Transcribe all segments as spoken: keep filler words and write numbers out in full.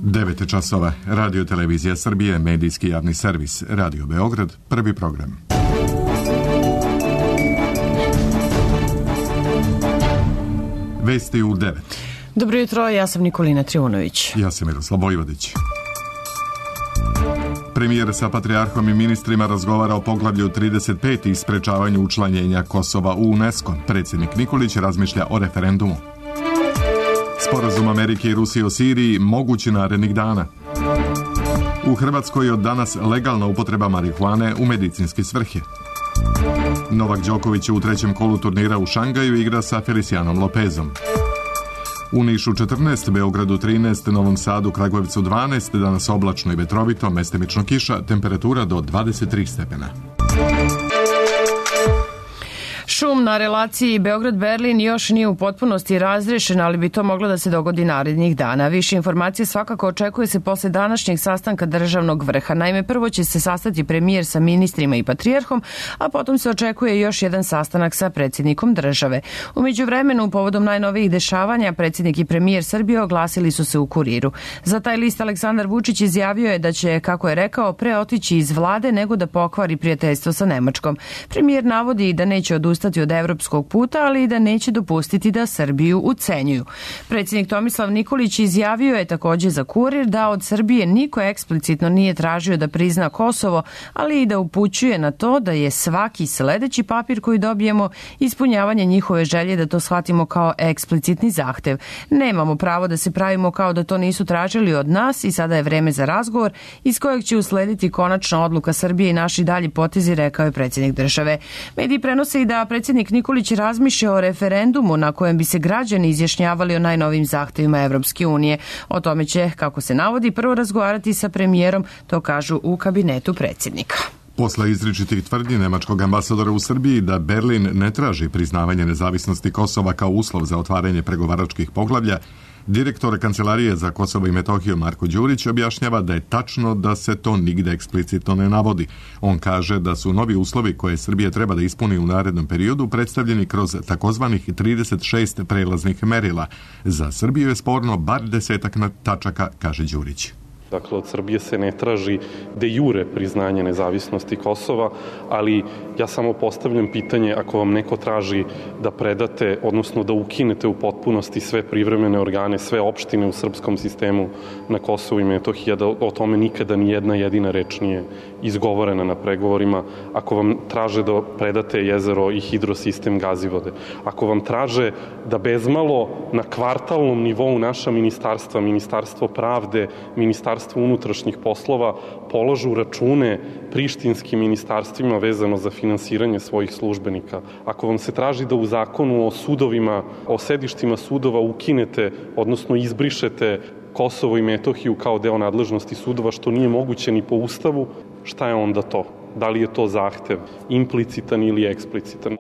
devet časova. Radio Televizija Srbije, medijski javni servis. Radio Beograd, prvi program. Vesti u devet. Dobro jutro, ja sam Nikolina Trivunović. Ja sam Miroslav Vojvodić. Premijer sa patrijarhom i ministrima razgovara o poglavlju trideset pet i sprečavanju učlanjenja Kosova u UNESCO. Predsjednik Nikolić razmišlja o referendumu. Sporazum Amerike i Rusije o Siriji mogući narednih dana. U Hrvatskoj od danas legalna upotreba marihuane u medicinske svrhe. Novak Đoković u trećem kolu turnira u Šangaju igra sa Felicijanom Lopezom. U Nišu četrnaest, Beogradu trinaest, Novom Sadu, Kragujevcu dvanaest, danas oblačno i vetrovito, mestimično kiša, temperatura do dvadeset tri stepena. Šum na relaciji Beograd-Berlin još nije u potpunosti razrešen, ali bi to moglo da se dogodi narednih dana. Više informacije svakako očekuje se posle današnjeg sastanka državnog vrha. Naime, prvo će se sastati premijer sa ministrima i patrijarhom, a potom se očekuje još jedan sastanak sa predsjednikom države. U međuvremenu, povodom najnovijih dešavanja, predsjednik i premijer Srbije oglasili su se u Kuriru. Za taj list Aleksandar Vučić izjavio je da će, kako je rekao, pre otići iz vlade nego da pokvari prijateljstvo sa Nemačkom. Premijer navodi da neće odustati od evropskog puta, ali i da neće dopustiti da Srbiju ucenjuju. Predsjednik Tomislav Nikolić izjavio je također za Kurir da od Srbije niko eksplicitno nije tražio da prizna Kosovo, ali i da upućuje na to da je svaki sledeći papir koji dobijemo ispunjavanje njihove želje da to shvatimo kao eksplicitni zahtev. Nemamo pravo da se pravimo kao da to nisu tražili od nas i sada je vreme za razgovor iz kojeg će uslediti konačna odluka Srbije i naši dalji potezi, rekao je predsjednik države. Mediji prenose i da predsjednik Nikolić razmišlja o referendumu na kojem bi se građani izjašnjavali o najnovim zahtevima Evropske unije. O tome će, kako se navodi, prvo razgovarati sa premijerom, to kažu u kabinetu predsjednika. Posle izričitih tvrdnji nemačkog ambasadora u Srbiji da Berlin ne traži priznavanje nezavisnosti Kosova kao uslov za otvaranje pregovaračkih poglavlja, direktor Kancelarije za Kosovo i Metohiju Marko Đurić objašnjava da je tačno da se to nigde eksplicitno ne navodi. On kaže da su novi uslovi koje Srbija treba da ispuni u narednom periodu predstavljeni kroz takozvanih trideset šest prelaznih merila. Za Srbiju je sporno bar desetak tačaka, kaže Đurić. Dakle, od Srbije se ne traži de jure priznanje nezavisnosti Kosova, ali ja samo postavljam pitanje, ako vam neko traži da predate, odnosno da ukinete u potpunosti sve privremene organe, sve opštine u srpskom sistemu na Kosovu i Metohiji, da o tome nikada ni jedna jedina reč nije izgovorena na pregovorima, ako vam traže da predate jezero i hidrosistem Gazivode, ako vam traže da bezmalo na kvartalnom nivou naša ministarstva, Ministarstvo pravde, Ministarstvo unutrašnjih poslova položu račune prištinskim ministarstvima vezano za finansiranje svojih službenika. Ako vam se traži da u zakonu o sudovima, o sedištima sudova ukinete, odnosno izbrišete Kosovo i Metohiju kao deo nadležnosti sudova, što nije moguće ni po Ustavu, šta je onda to? Da li je to zahtev implicitan ili eksplicitan?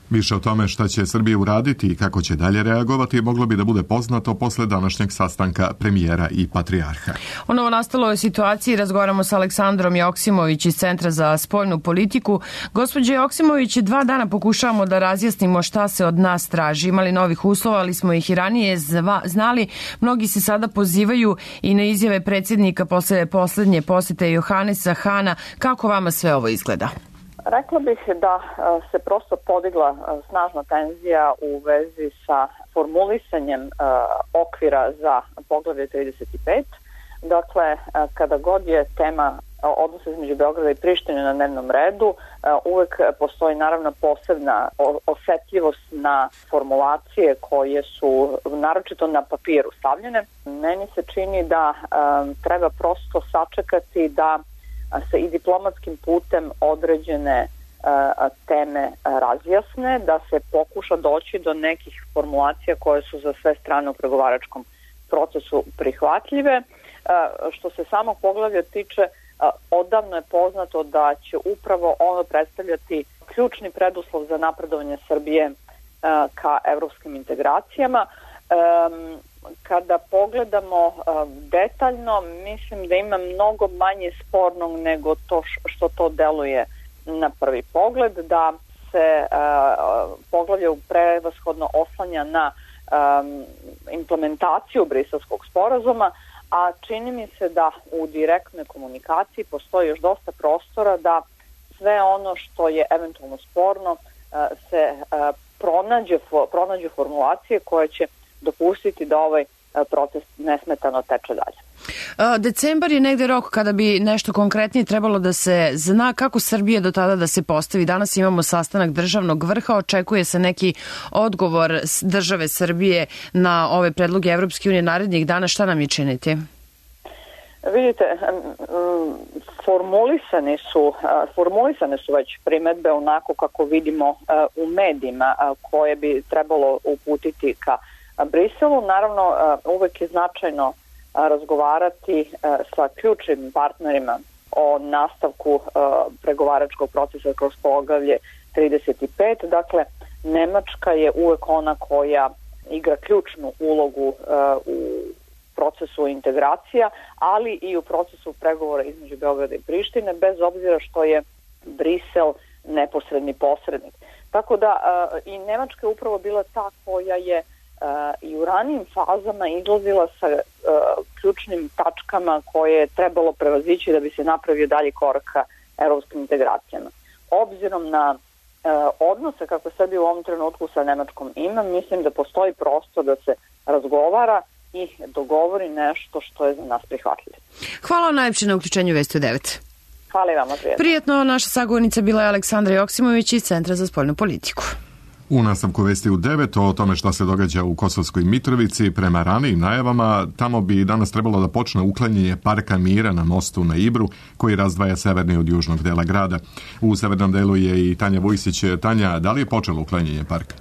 Više o tome šta će Srbija uraditi i kako će dalje reagovati moglo bi da bude poznato posle današnjeg sastanka premijera i patrijarha. O novonastaloj situaciji razgovaramo sa Aleksandrom Joksimović iz Centra za spoljnu politiku. Gospođe Joksimović, dva dana pokušavamo da razjasnimo šta se od nas traži. Imali novih uslova, ali smo ih i ranije znali. Mnogi se sada pozivaju i na izjave predsjednika posle poslednje posete Johanesa Hana. Kako vama sve ovo izgleda? Rekla bih da se prosto podigla snažna tenzija u vezi sa formulisanjem okvira za poglavlje trideset pet. Dakle, kada god je tema odnosa između Beograda i Prištine na dnevnom redu, uvek postoji naravno posebna osetljivost na formulacije koje su naročito na papiru stavljene. Meni se čini da treba prosto sačekati da se i diplomatskim putem određene a, teme razjasne, da se pokuša doći do nekih formulacija koje su za sve strane u pregovaračkom procesu prihvatljive. A, što se samog poglavlja tiče, a, odavno je poznato da će upravo ono predstavljati ključni preduslov za napredovanje Srbije a, ka evropskim integracijama. A, Kada pogledamo detaljno, mislim da ima mnogo manje spornog nego to što to deluje na prvi pogled, da se poglavlje prevashodno oslanja na implementaciju Briselskog sporazuma, a čini mi se da u direktnoj komunikaciji postoji još dosta prostora da sve ono što je eventualno sporno se pronađe, pronađe formulacije koje će dopustiti da ovaj proces nesmetano teče dalje. Decembar je negde rok kada bi nešto konkretnije trebalo da se zna kako Srbije do tada da se postavi. Danas imamo sastanak državnog vrha, očekuje se neki odgovor države Srbije na ove predloge Evropske unije narednih dana. Šta nam je činiti? Vidite, formulisane su, formulisane su već primedbe onako kako vidimo u medijima koje bi trebalo uputiti ka Briselu. Naravno, uvek je značajno razgovarati sa ključnim partnerima o nastavku pregovaračkog procesa kroz poglavlje trideset pet. Dakle, Nemačka je uvek ona koja igra ključnu ulogu u procesu integracija, ali i u procesu pregovora između Beograda i Prištine, bez obzira što je Brisel neposredni posrednik. Tako da i Nemačka je upravo bila ta koja je i u ranijim fazama izlazila sa ključnim tačkama koje je trebalo prevazići da bi se napravio dalji korak ka evropskim integracijama. Obzirom na odnose kako Srbija u ovom trenutku sa Nemačkom ima, mislim da postoji prostor da se razgovara i dogovori nešto što je za nas prihvatljivo. Hvala najlepše na uključenju Vesti u devet. Hvala i vama, prijetno. Prijetno, naša sagovornica bila je Aleksandra Joksimović iz Centra za spoljnu politiku. U nastavku Vesti u devet o tome šta se događa u Kosovskoj Mitrovici, prema ranijim najavama, tamo bi danas trebalo da počne uklanjanje Parka mira na mostu na Ibru, koji razdvaja severni od južnog dela grada. U severnom delu je i Tanja Vujsić. Tanja, da li je počelo uklanjanje parka?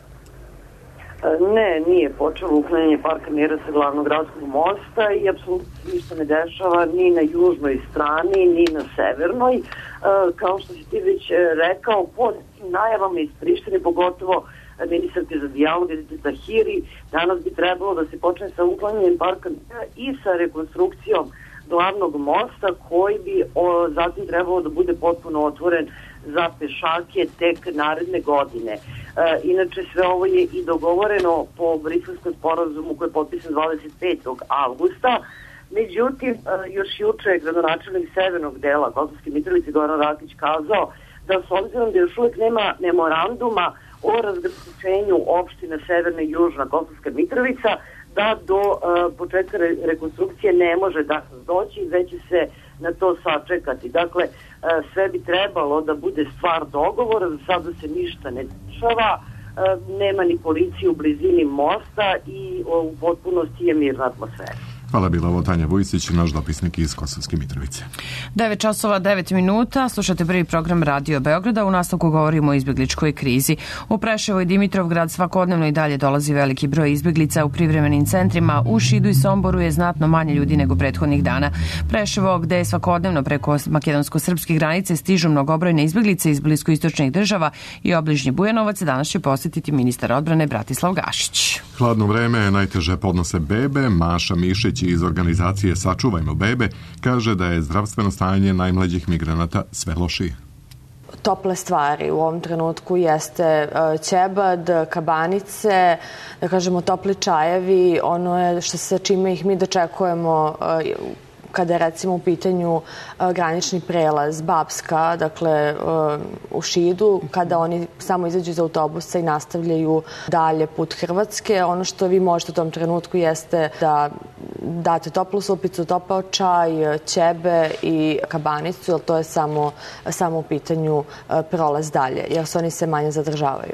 Ne, nije počelo uklanjanje Parka mira sa glavnog gradskog mosta i apsolutno ništa ne dešava ni na južnoj strani, ni na severnoj. Kao što si ti već rekao, pod najavama iz Prištine, pogotovo ministarke za dijalog Edite Tahiri, danas bi trebalo da se počne sa uklanjanjem Parka mira i sa rekonstrukcijom glavnog mosta, koji bi o, zatim trebalo da bude potpuno otvoren za pešake tek naredne godine. E, inače, sve ovo je i dogovoreno po Briselskom sporazumu koji je potpisan dvadeset petog avgusta. Međutim, e, još juče je gradonačelnik severnog dela Kosovske Mitrovice Goran Rakić kazao da s obzirom da još uvijek nema memoranduma o razgraničenju opština Severna i Južna Kosovska Mitrovica, da do uh, početka re rekonstrukcije ne može da doći, već će se na to sačekati. Dakle, uh, sve bi trebalo da bude stvar dogovora, za sada se ništa ne dešava, uh, nema ni policije u blizini mosta i uh, u potpunosti je mirna atmosfera. Hvala, bila ovo Tanja Vujsić, naš dopisnik iz Kosovske Mitrovice. devet časova devet minuta, slušate prvi program Radio Beograda, u nastavku govorimo o izbjegličkoj krizi. U Preševo i Dimitrovgrad svakodnevno i dalje dolazi veliki broj izbjeglica. U privremenim centrima u Šidu i Somboru je znatno manje ljudi nego prethodnih dana. Preševo, gde je svakodnevno preko makedonsko-srpske granice stižu mnogobrojne izbjeglice iz bliskoistočnih država i obližnji Bujanovac, danas će posjetiti ministar odbrane Bratislav Gašić. Hladno vreme najteže podnose bebe. Maša Mišić iz organizacije Sačuvajmo bebe kaže da je zdravstveno stanje najmlađih migranata sve lošije. Tople stvari u ovom trenutku jeste ćebad, kabanice, da kažemo topli čajevi, ono je što se čime ih mi dočekujemo kada je recimo u pitanju granični prelaz Babska, dakle u Šidu, kada oni samo izađu iz autobusa i nastavljaju dalje put Hrvatske. Ono što vi možete u tom trenutku jeste da date toplu supicu, topao čaj, ćebe i kabanicu, jer to je samo, samo u pitanju prolaz dalje, jer se oni se manje zadržavaju.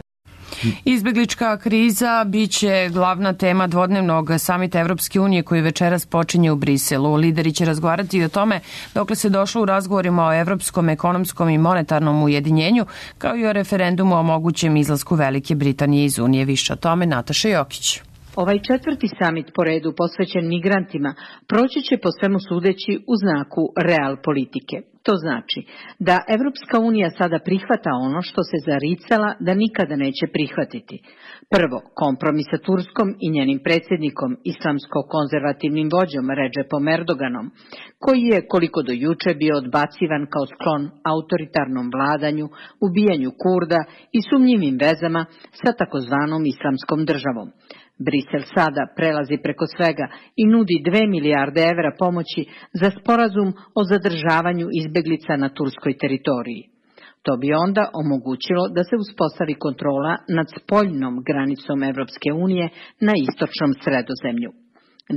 Izbjeglička kriza biće glavna tema dvodnevnog samita Evropske unije koji večeras počinje u Briselu. Lideri će razgovarati i o tome dokle se došlo u razgovorima o evropskom, ekonomskom i monetarnom ujedinjenju, kao i o referendumu o mogućem izlasku Velike Britanije iz Unije. Više o tome Nataša Jokić. Ovaj četvrti samit po redu posvećen migrantima proći će po svemu sudeći u znaku real politike. To znači da Evropska unija sada prihvata ono što se zaricala da nikada neće prihvatiti. Prvo, kompromis sa Turskom i njenim predsjednikom, islamsko-konzervativnim vođom Redžepom Erdoganom, koji je koliko do juče bio odbacivan kao sklon autoritarnom vladanju, ubijanju Kurda i sumnjivim vezama sa takozvanom islamskom državom. Brisel sada prelazi preko svega i nudi dve milijarde evra pomoći za sporazum o zadržavanju izbeglica na turskoj teritoriji. To bi onda omogućilo da se uspostavi kontrola nad spoljnom granicom Evropske unije na istočnom Sredozemlju.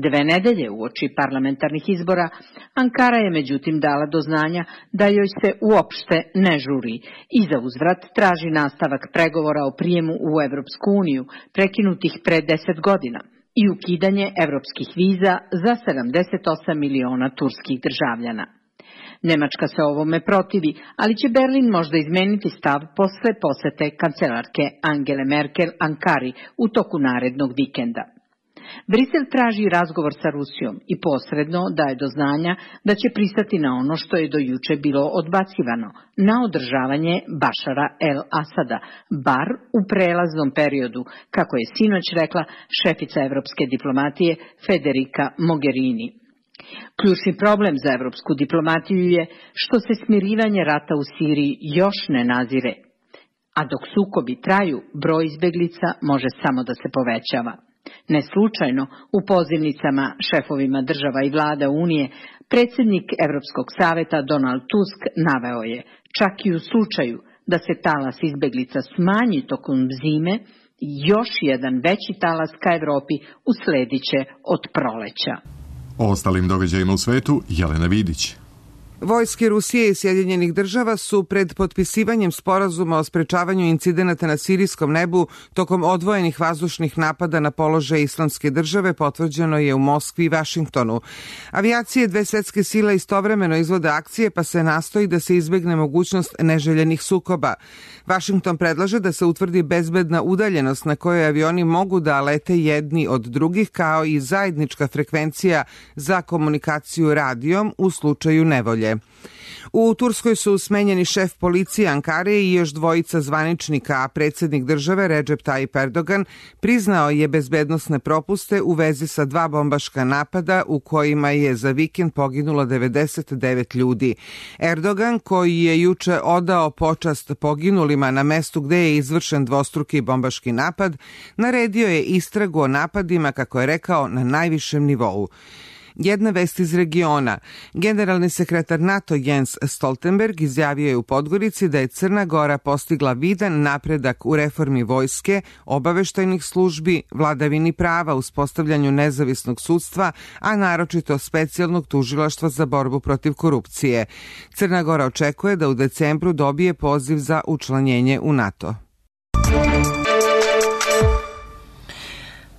Dve nedelje uoči parlamentarnih izbora, Ankara je međutim dala do znanja da joj se uopšte ne žuri i za uzvrat traži nastavak pregovora o prijemu u Evropsku uniju, prekinutih pre deset godina, i ukidanje evropskih viza za sedamdeset osam miliona turskih državljana. Nemačka se ovome protivi, ali će Berlin možda izmeniti stav posle posete kancelarke Angele Merkel Ankari u toku narednog vikenda. Brisel traži razgovor sa Rusijom i posredno daje do znanja da će pristati na ono što je do juče bilo odbacivano, na održavanje Bašara el-Asada, bar u prelaznom periodu, kako je sinoć rekla šefica evropske diplomatije Federica Mogherini. Ključni problem za evropsku diplomatiju je što se smirivanje rata u Siriji još ne nazire, a dok sukobi traju, broj izbeglica može samo da se povećava. Ne slučajno, u pozivnicama šefovima država i vlada Unije, predsjednik Evropskog saveta Donald Tusk naveo je, čak i u slučaju da se talas izbeglica smanji tokom zime, još jedan veći talas ka Evropi uslediće od proleća. O ostalim događajima u svetu, Jelena Vidić. Vojske Rusije i Sjedinjenih država su pred potpisivanjem sporazuma o sprečavanju incidenata na sirijskom nebu tokom odvojenih vazdušnih napada na položaj Islamske države potvrđeno je u Moskvi i Vašingtonu. Avijacije dve svetske sile istovremeno izvode akcije pa se nastoji da se izbegne mogućnost neželjenih sukoba. Vašington predlaže da se utvrdi bezbedna udaljenost na kojoj avioni mogu da lete jedni od drugih kao i zajednička frekvencija za komunikaciju radijom u slučaju nevolje. U Turskoj su smenjeni šef policije Ankare i još dvojica zvaničnika, a predsjednik države Recep Tayyip Erdogan priznao je bezbednosne propuste u vezi sa dva bombaška napada u kojima je za vikend poginulo devedeset devet ljudi. Erdogan, koji je juče odao počast poginulima na mestu gde je izvršen dvostruki bombaški napad, naredio je istragu o napadima, kako je rekao, na najvišem nivou. Jedna vest iz regiona. Generalni sekretar NATO Jens Stoltenberg izjavio je u Podgorici da je Crna Gora postigla vidan napredak u reformi vojske, obaveštajnih službi, vladavini prava, uspostavljanju nezavisnog sudstva, a naročito specijalnog tužilaštva za borbu protiv korupcije. Crna Gora očekuje da u decembru dobije poziv za učlanjenje u NATO.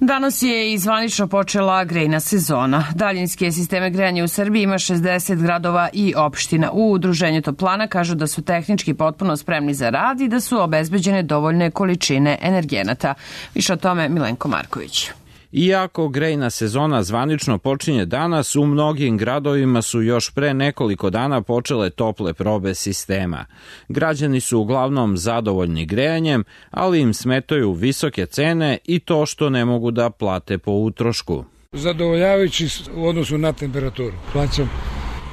Danas je i zvanično počela grejna sezona. Daljinske sisteme grejanja u Srbiji ima šezdeset gradova i opština. U Udruženju Toplana kažu da su tehnički potpuno spremni za rad i da su obezbeđene dovoljne količine energenata. Više o tome Milenko Marković. Iako grejna sezona zvanično počinje danas, u mnogim gradovima su još pre nekoliko dana počele tople probe sistema. Građani su uglavnom zadovoljni grejanjem, ali im smetaju visoke cene i to što ne mogu da plate po utrošku. Zadovoljavajući u odnosu na temperaturu. Plaćam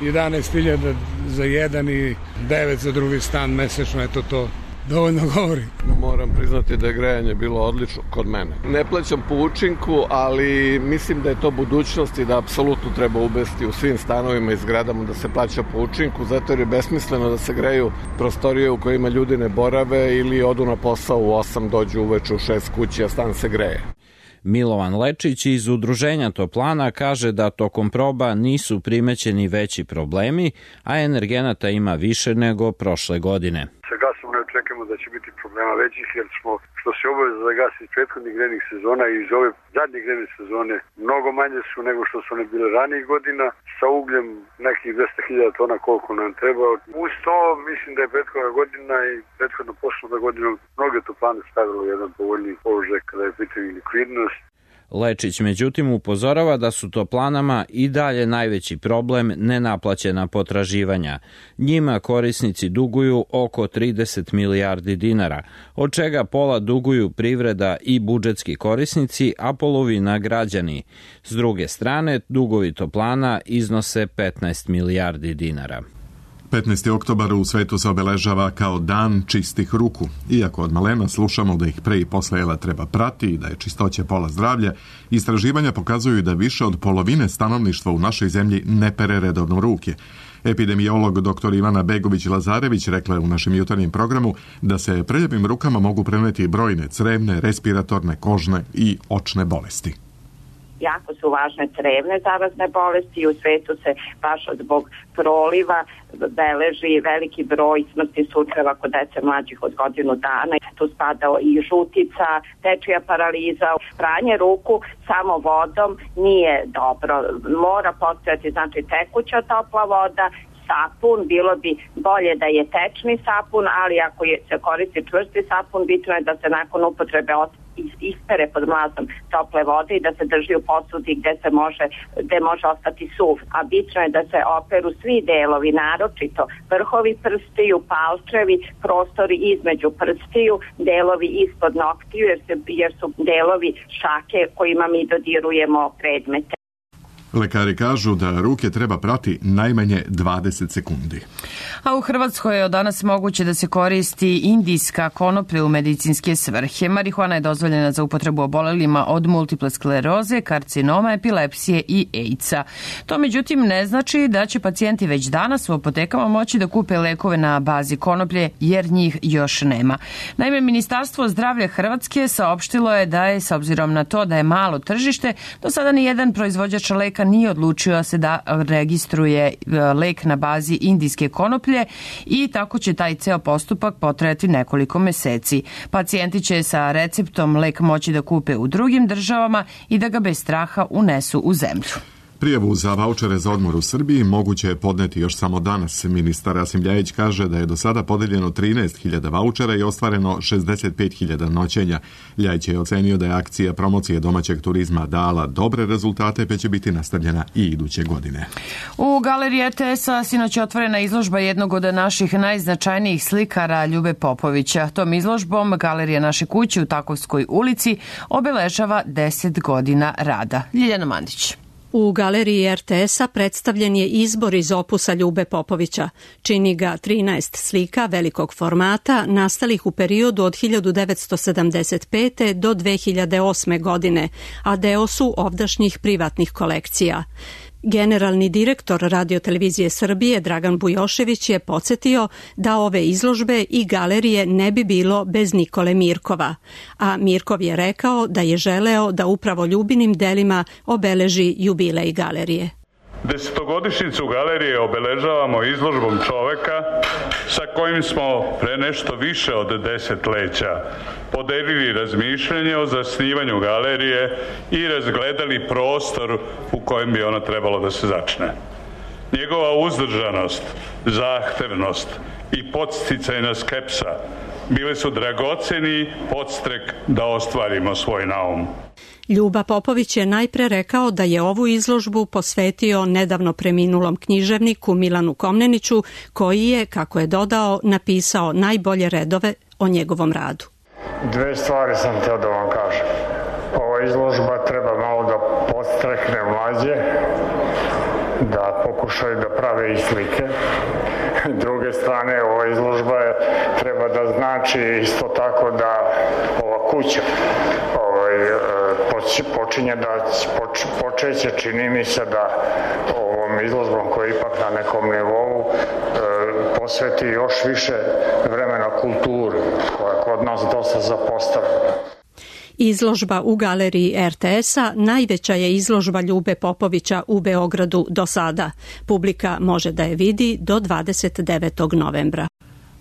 jedanaest hiljada za jedan i devet za drugi stan mesečno, eto to dovoljno govori. Moram priznati da je grejanje bilo odlično kod mene. Ne plaćam po učinku, ali mislim da je to budućnost i da apsolutno treba uvesti u svim stanovima i zgradama da se plaća po učinku, zato jer je besmisleno da se greju prostorije u kojima ljudi ne borave ili odu na posao u osam, dođu uveče u šest kući, a stan se greje. Milovan Lečić iz Udruženja Toplana kaže da tokom proba nisu primećeni veći problemi, a energenata ima više nego prošle godine. Sa gasom ne očekujemo da će biti problema većih, jer smo, što se obaveza za gas iz prethodnih grejnih sezona i iz ove zadnje grejne sezone, mnogo manje su nego što su one bile ranijih godina, sa ugljem nekih dvesta hiljada tona koliko nam treba. Uz to mislim da je prethodna godina i prethodno poslovna godina mnoge toplane stavilo jedan povoljniji položaj kada je pitanje likvidnost. Lečić međutim upozorava da su toplanama i dalje najveći problem nenaplaćena potraživanja. Njima korisnici duguju oko trideset milijardi dinara, od čega pola duguju privreda i budžetski korisnici, a polovina građani. S druge strane, dugovi toplana iznose petnaest milijardi dinara. petnaesti oktobar u svetu se obeležava kao dan čistih ruku. Iako od malena slušamo da ih pre i posle jela treba prati i da je čistoća pola zdravlja, istraživanja pokazuju da više od polovine stanovništva u našoj zemlji ne pere redovno ruke. Epidemiolog dr. Ivana Begović-Lazarević rekla je u našem jutarnjem programu da se preljepim rukama mogu preneti brojne crevne, respiratorne, kožne i očne bolesti. Jako su važne crevne zarazne bolesti i u svetu se baš zbog proliva beleži veliki broj smrtnih slučajeva kod dece mlađih od godinu dana. Tu spada i žutica, dečija paraliza. Pranje ruku samo vodom nije dobro. Mora postojati znači tekuća topla voda, sapun, bilo bi bolje da je tečni sapun, ali ako je, se koristi čvrsti sapun, bitno je da se nakon upotrebe ispere pod mlazom tople vode i da se drži u posudi gde se može, gde može ostati suv. A bitno je da se operu svi delovi, naročito vrhovi prstiju, palčevi, prostori između prstiju, delovi ispod noktiju, jer, se, jer su delovi šake kojima mi dodirujemo predmete. Lekari kažu da ruke treba prati najmanje dvadeset sekundi. A u Hrvatskoj je od danas moguće da se koristi indijska konoplja u medicinske svrhe. Marihuana je dozvoljena za upotrebu obolelima od multiple skleroze, karcinoma, epilepsije i AIDS-a. To međutim ne znači da će pacijenti već danas u apotekama moći da kupe lekove na bazi konoplje, jer njih još nema. Naime, Ministarstvo zdravlja Hrvatske saopštilo je da je, s obzirom na to da je malo tržište, do sada ni jedan proizvođač leka nije odlučio se da registruje lek na bazi indijske konoplje i tako će taj ceo postupak potrajati nekoliko meseci. Pacijenti će sa receptom lek moći da kupe u drugim državama i da ga bez straha unesu u zemlju. Prijavu za vaučere za odmor u Srbiji moguće je podneti još samo danas. Ministar Rasim Ljajić kaže da je do sada podeljeno trinaest hiljada vaučera i ostvareno šezdeset pet hiljada noćenja. Ljajić je ocenio da je akcija promocije domaćeg turizma dala dobre rezultate, pa će biti nastavljena i iduće godine. U galeriji R T S-a sinoć je otvorena izložba jednog od naših najznačajnijih slikara, Ljube Popovića. Tom izložbom Galerija naše kuće u Takovskoj ulici obeležava deset godina rada. Ljiljana Mandić. U galeriji R T S-a predstavljen je izbor iz opusa Ljube Popovića. Čini ga trinaest slika velikog formata nastalih u periodu od hiljadu devetsto sedamdeset pete do dve hiljade osme godine, a deo su ovdašnjih privatnih kolekcija. Generalni direktor Radiotelevizije Srbije Dragan Bujošević je podsjetio da ove izložbe i galerije ne bi bilo bez Nikole Mirkova, a Mirkov je rekao da je želeo da upravo Ljubinim delima obeleži jubilej galerije. Desetogodišnjicu galerije obeležavamo izložbom čoveka sa kojim smo pre nešto više od desetleća podelili razmišljanje o zasnivanju galerije i razgledali prostor u kojem bi ona trebalo da se začne. Njegova uzdržanost, zahtevnost i podsticajna skepsa bile su dragoceni podstrek da ostvarimo svoj naum. Ljuba Popović je najpre rekao da je ovu izložbu posvetio nedavno preminulom književniku Milanu Komneniću, koji je, kako je dodao, napisao najbolje redove o njegovom radu. Dve stvari sam teo da vam kažem. Ova izložba treba malo da podstrekne mlađe, da pokušaju da prave i slike. Druge strane, ova izložba je, treba da znači isto tako da ova kuća ovaj, počinje da poč, počeće, čini mi se da ovom izložbom koja je ipak na nekom nivou e, posveti još više vremena kulturi koja je kod nas dosta zapostavljena. Izložba u galeriji R T S-a najveća je izložba Ljube Popovića u Beogradu do sada. Publika može da je vidi do dvadeset devetog novembra.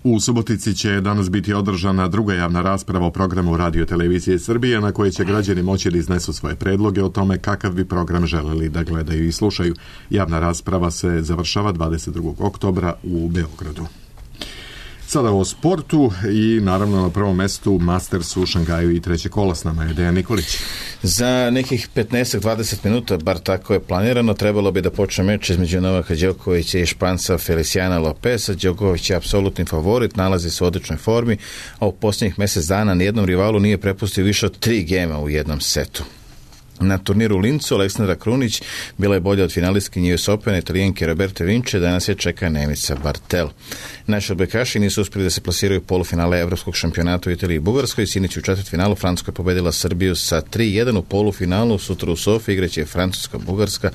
U Subotici će danas biti održana druga javna rasprava o programu Radiotelevizije Srbije, na kojoj će građani moći da iznesu svoje predloge o tome kakav bi program želeli da gledaju i slušaju. Javna rasprava se završava dvadeset drugog oktobra u Beogradu. Sada o sportu i naravno na prvom mestu Masters u Šangaju i treće kola. S nama je Dejan Nikolić. Za nekih petnaest do dvadeset minuta, bar tako je planirano, trebalo bi da počne meč između Novaka Đokovića i Španca Feliciana Lopeza. Đoković je apsolutni favorit, nalazi se u odličnoj formi, a u posljednjih mesec dana nijednom rivalu nije prepustio više od tri gema u jednom setu. Na turniru u Lincu Aleksandra Krunić bila je bolja od finalistkinje U S Opena Italijanke Roberte Vinče, danas je čeka Nemica Bartel. Naši odbojkaši nisu uspjeli da se plasiraju u polufinale Evropskog šampionata u Italiji i Bugarskoj. Sinoć u četvrtfinalu Francuska je pobedila Srbiju sa tri jedan. U polufinalu sutra u Sofiji igraće Francuska, Bugarska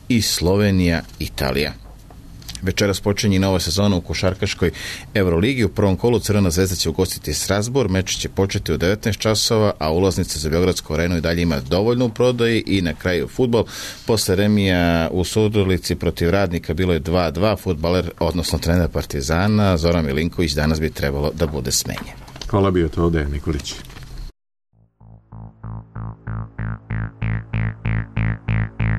i Slovenija, Italija. Večeras počinje nova sezona u košarkaškoj Euroligi. U prvom kolu Crvena zvezda će ugostiti Strasbourg. Meč će početi u devetnaest časova, a ulaznica za Beogradsku arenu i dalje ima dovoljno u prodaji. I na kraju fudbal. Posle remija u Surdulici protiv Radnika bilo je dva dva. Fudbaler, odnosno trener Partizana Zoran Milinković danas bi trebalo da bude smenjen. Hvala, bio to Dejan Nikolić.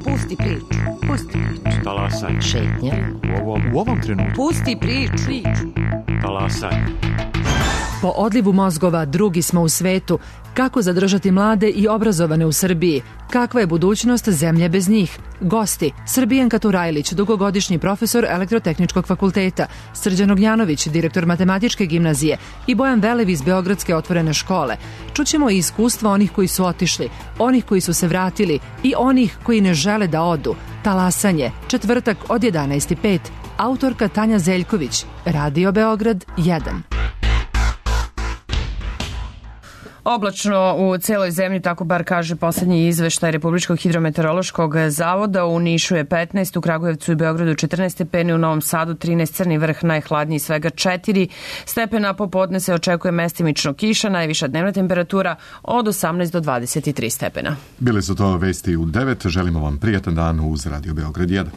Pusti priču, pusti priču. Talasaj. Šetnja. U ovom, u ovom trenutku. Pusti priču. Talasaj. Po odlivu mozgova drugi smo u svetu. Kako zadržati mlade i obrazovane u Srbiji? Kakva je budućnost zemlje bez njih? Gosti: Srbijanka Turajlić, dugogodišnji profesor Elektrotehničkog fakulteta, Srđan Ognjanović, direktor Matematičke gimnazije i Bojan Velev iz Beogradske otvorene škole. Čućemo i iskustva onih koji su otišli, onih koji su se vratili i onih koji ne žele da odu. Talasanje, četvrtak od jedanaest i pet. Autorka Tanja Zeljković, Radio Beograd jedan. Oblačno u celoj zemlji, tako bar kaže poslednji izveštaj Republičkog hidrometeorološkog zavoda. U Nišu je petnaest, u Kragujevcu i Beogradu četrnaest stepeni, u Novom Sadu trinaest, Crni vrh najhladniji svega četiri stepena. Popodne se očekuje mestimično kiša, najviša dnevna temperatura od osamnaest do dvadeset tri stepena. Bile su to vesti u devet. Želimo vam prijatan dan uz Radio Beograd jedan.